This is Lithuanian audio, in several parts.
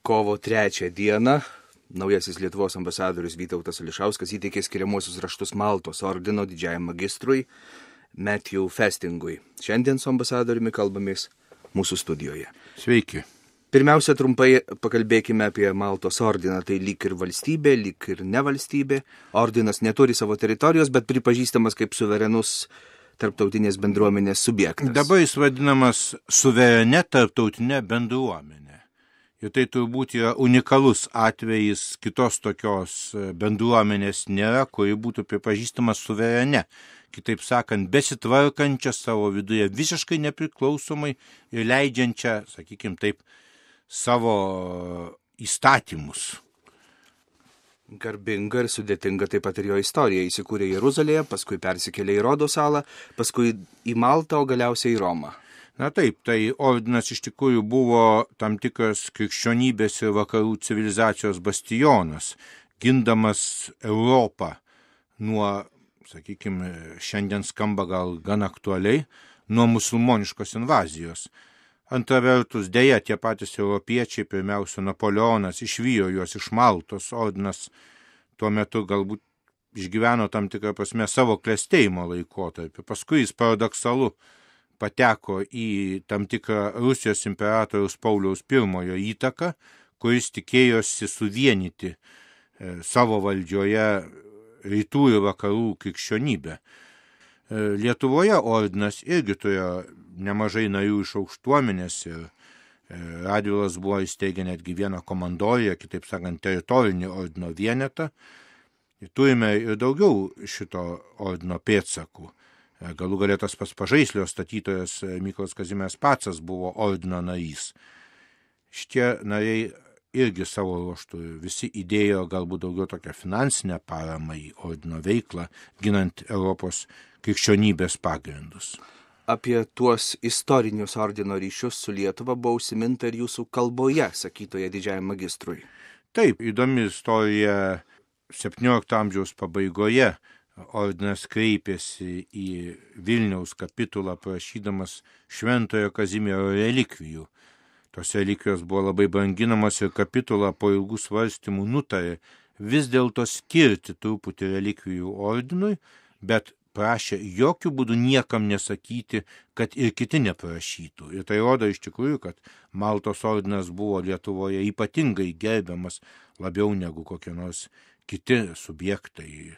Kovo 3 dieną naujasis Lietuvos ambasadorius Vytautas Ališauskas įteikė skiriamuosius raštus Maltos ordino didžiajam magistrui Matthew Festingui. Šiandien su ambasadoriumi kalbamės mūsų studijoje. Sveiki. Pirmiausia, trumpai pakalbėkime apie Maltos ordiną. Tai lyg ir valstybė, lyg ir ne valstybė. Ordinas neturi savo teritorijos, bet pripažįstamas kaip suverenus tarptautinės bendruomenės subjektas. Dabar jis vadinamas suverene tarptautinė bendruomenė. Ir tai turbūt yra unikalus atvejis, kitos tokios bendruomenės nėra, kuri būtų pripažįstama suverene. Kitaip sakant, besitvarkančia savo viduje visiškai nepriklausomai ir leidžiančia, sakykime taip, savo įstatymus. Garbinga ir sudėtinga taip pat ir jo istorija. Įsikūrė Jeruzalėje, paskui persikėlė į Rodo salą, paskui į Maltą, o galiausiai į Romą. Na taip, tai ordinas iš tikrųjų buvo tam tikras krikščionybės ir vakarų civilizacijos bastionas, gindamas Europą nuo, sakykime, šiandien skamba gal gan aktualiai, nuo musulmoniškos invazijos. Antra vertus, dėja, tie patys europiečiai, pirmiausia, Napoleonas išvijo juos iš Maltos, ordinas tuo metu galbūt išgyveno tam tikrą prasme savo klestėjimo laikotarpį. Paskui jis paradoksalu pateko į tam tikrą Rusijos imperatoriaus Pauliaus I įtaką, kuris tikėjosi suvienyti savo valdžioje rytų ir vakarų krikščionybę. Lietuvoje ordinas irgi turėjo nemažai narių iš aukštuomenės ir Radvilas buvo įsteigę netgi vieną komandoriją, kitaip sakant, teritorinį ordino vienetą. Turime ir daugiau šito ordino pėdsakų. Galų galė tas pats Pažaislio statytojas Mykolas Kazimieras Pacas buvo ordino narys. Šitie nariai irgi savo ruožtu visi įdėjo galbūt daugiau tokią finansinę paramą į ordino veiklą, ginant Europos krikščionybės pagrindus. Apie tuos istorinius ordino ryšius su Lietuva buvo užsiminta ir jūsų kalboje, sakytoje didžiajam magistrui. Taip, įdomi istorija 17 amžiaus pabaigoje. Ordinas kreipėsi į Vilniaus kapitulą prašydamas Šventojo Kazimiero relikvijų. Tos relikvijos buvo labai branginamos ir kapitula po ilgų svarstymų nutarė vis dėlto skirti truputį relikvijų ordinui, bet prašė jokių būdų niekam nesakyti, kad ir kiti neprašytų. Ir tai rodo iš tikrųjų, kad Maltos ordinas buvo Lietuvoje ypatingai gerbiamas labiau negu kokie nors kiti subjektai.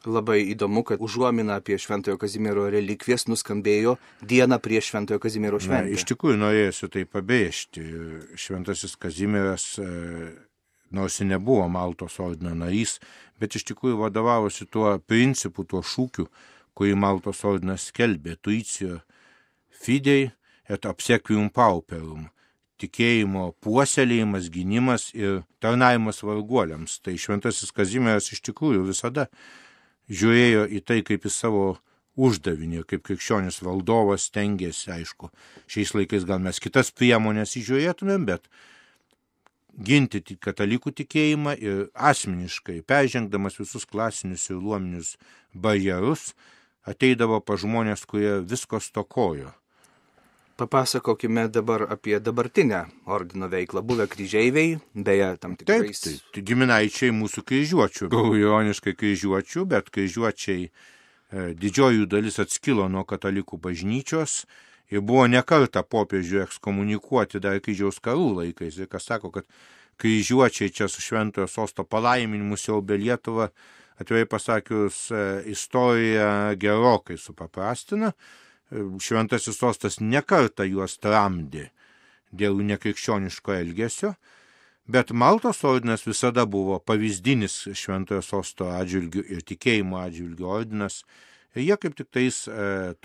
Labai įdomu, kad užuomina apie Šventojo Kazimiero relikvijas nuskambėjo dieną prieš Šventojo Kazimiero šventę. Iš tikrųjų norėsiu tai pabrėžti. Šventasis Kazimieras, nors ir nebuvo Maltos ordino narys, bet iš tikrųjų vadovavosi tuo principu, tuo šūkiu, kurį Maltos ordinas skelbė, tuicio fidei et obsequium pauperum. Tikėjimo puoselėjimas, gynimas ir tarnavimas varguoliams. Tai Šventasis Kazimieras iš tikrųjų visada žiūrėjo į tai kaip į savo uždavinį, kaip krikščionis valdovas stengėsi, aišku, šiais laikais gal mes kitas priemonės įžiūrėtumėm, bet ginti katalikų tikėjimą ir asmeniškai, peržengdamas visus klasinius ir luominius barjerus, ateidavo pa žmonės, kurie visko stokojo. Papasakokime dabar apie dabartinę ordino veiklą. Buvę kryžeiviai, beje, tam tikrais... Taip, giminaičiai mūsų kryžiuočių. Ironiškai kryžiuočių, bet kryžiuočiai didžioji dalis atskilo nuo katalikų bažnyčios ir buvo nekartą popiežių ekskomunikuoti dar kryžiaus karų laikais. Ir kas sako, kad kryžiuočiai čia su Šventojo sosto palaiminimu siaubė Lietuvą, atvirai pasakius, istoriją gerokai supaprastina. Šventasis sostas nekartą juos tramdė dėl nekrikščioniško elgesio, bet Maltos ordinas visada buvo pavyzdinis Šventojo sosto atžvilgių ir tikėjimo atžvilgių ordinas. Ir jie kaip tik tais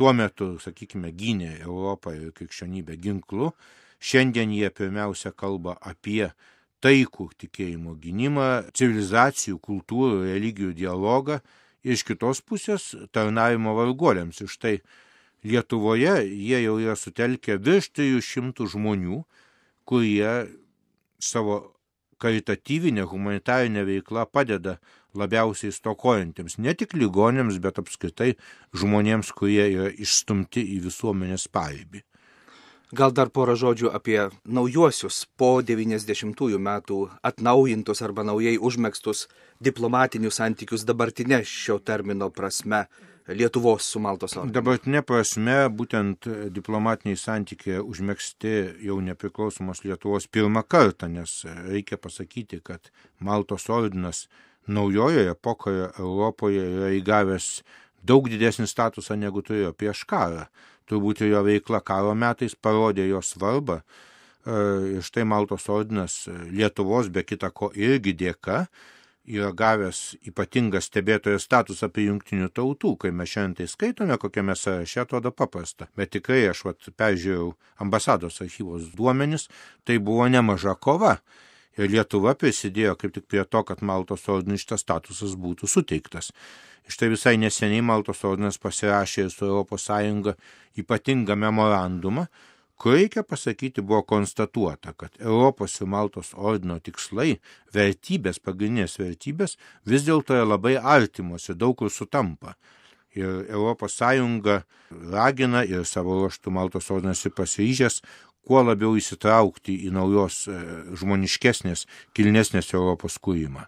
tuo metu, sakykime, gynė Europą ir krikščionybę ginklu. Šiandien jie pirmiausia kalba apie taikų tikėjimo gynimą, civilizacijų, kultūrų, religijų dialogą ir iš kitos pusės tarnavimo varguoliams. Ir štai Lietuvoje jie jau yra sutelkę virš 300 žmonių, kurie savo karitatyvinę, humanitarinę veiklą padeda labiausiai stokojantiems, ne tik ligonėms, bet apskritai žmonėms, kurie yra išstumti į visuomenės paribį. Gal dar porą žodžių apie naujuosius po 90-ųjų metų atnaujintus arba naujai užmėgstus diplomatinius santykius dabartinė šio termino prasme Lietuvos su Maltos ordinu. Dabartinė prasme būtent diplomatiniai santykiai užmėgsti jau nepriklausomos Lietuvos pirmą kartą, nes reikia pasakyti, kad Maltos ordinas naujojoje epochoje Europoje yra įgavęs daug didesnį statusą negu turėjo prieš karą. Turbūt jo veikla karo metais parodė jo svarbą. Ir štai Maltos ordinas Lietuvos be kita ko irgi dėka yra gavęs ypatingą stebėtojo statusą prie jungtinių tautų. Kai mes šiandien tai skaitome, kokiame sąraše, atrodo paprasta. Bet tikrai aš peržiūrėjau ambasados archyvos duomenis, tai buvo nemaža kova. Ir Lietuva prisidėjo kaip tik prie to, kad Maltos ordinui šitas statusas būtų suteiktas. Štai visai neseniai Maltos ordinas pasirašė su ES ypatingą memorandumą, kur reikia pasakyti buvo konstatuota, kad Europos ir Maltos ordino tikslai, vertybės, pagrindinės vertybės vis dėlto yra labai artimos ir daug kur sutampa. Ir ES ragina ir savo ruožtų Maltos ordinas ir pasiryžęs kuo labiau įsitraukti į naujos žmoniškesnės, kilnesnės Europos kūrimą.